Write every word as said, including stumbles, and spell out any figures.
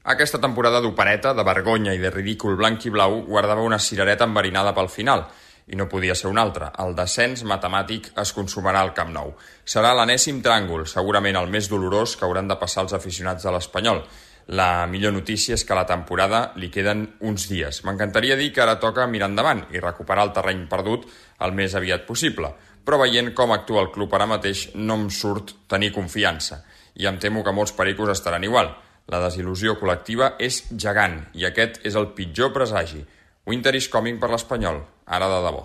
Aquesta temporada d'opereta, de vergonya i de ridícul blanc i blau guardava una cirereta enverinada pel final, i no podia ser una altra. El descens matemàtic es consumarà al Camp Nou. Serà l'enèsim tràngol, segurament el més dolorós que hauran de passar els aficionats de l'Espanyol. La millor notícia és que a la temporada li queden uns dies. M'encantaria dir que ara toca mirar endavant i recuperar el terreny perdut el més aviat possible, però veient com actua el club ara mateix no em surt tenir confiança, i em temo que molts pericos estaran igual. La desil·lusió col·lectiva és gegant i aquest és el pitjor presagi. Winter is coming per l'Espanyol, ara de debò.